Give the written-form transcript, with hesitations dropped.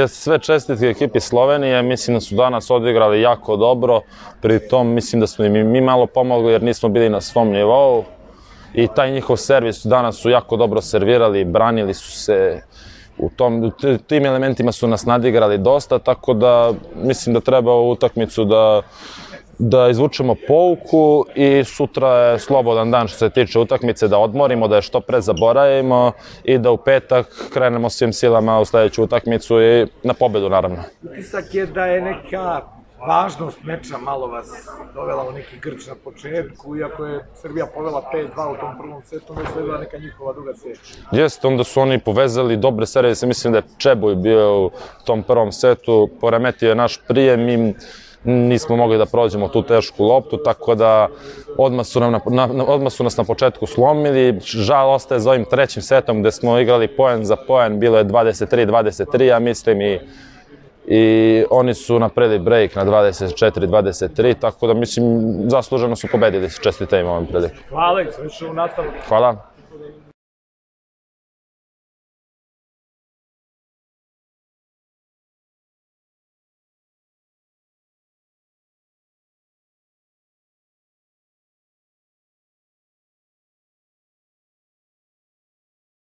Sve čestitke ekipi Slovenije, mislim da su danas odigrali jako dobro, pri tom mislim da smo im i mi malo pomogli jer nismo bili na svom nivou i taj njihov servis danas su jako dobro servirali, branili su se, u tim elementima su nas nadigrali dosta, tako da mislim da treba ovu utakmicu da izvučemo pouku i sutra je slobodan dan što se tiče utakmice, da odmorimo, da je što pre zaboravimo i da u petak krenemo svim silama u sledeću utakmicu i na pobedu naravno. Utisak je da je neka važnost meča malo vas dovela u neki grč na početku, iako je Srbija povela 5-2 u tom prvom setu, onda je sledila neka njihova duga serija. Jeste, onda su oni povezali dobre servise, mislim da je Čebuj bio u tom prvom setu, poremetio je naš prijem i nismo mogli da prođemo tu tešku loptu, tako da odmah su nas na početku slomili. Žal ostaje za ovim trećim setom gde smo igrali poen za poen, bilo je 23-23, ja mislim, i oni su napravili break na 24-23, tako da mislim zasluženo su pobedili, čestitam im ovom priliku. Hvala i srećno u nastavku. Hvala.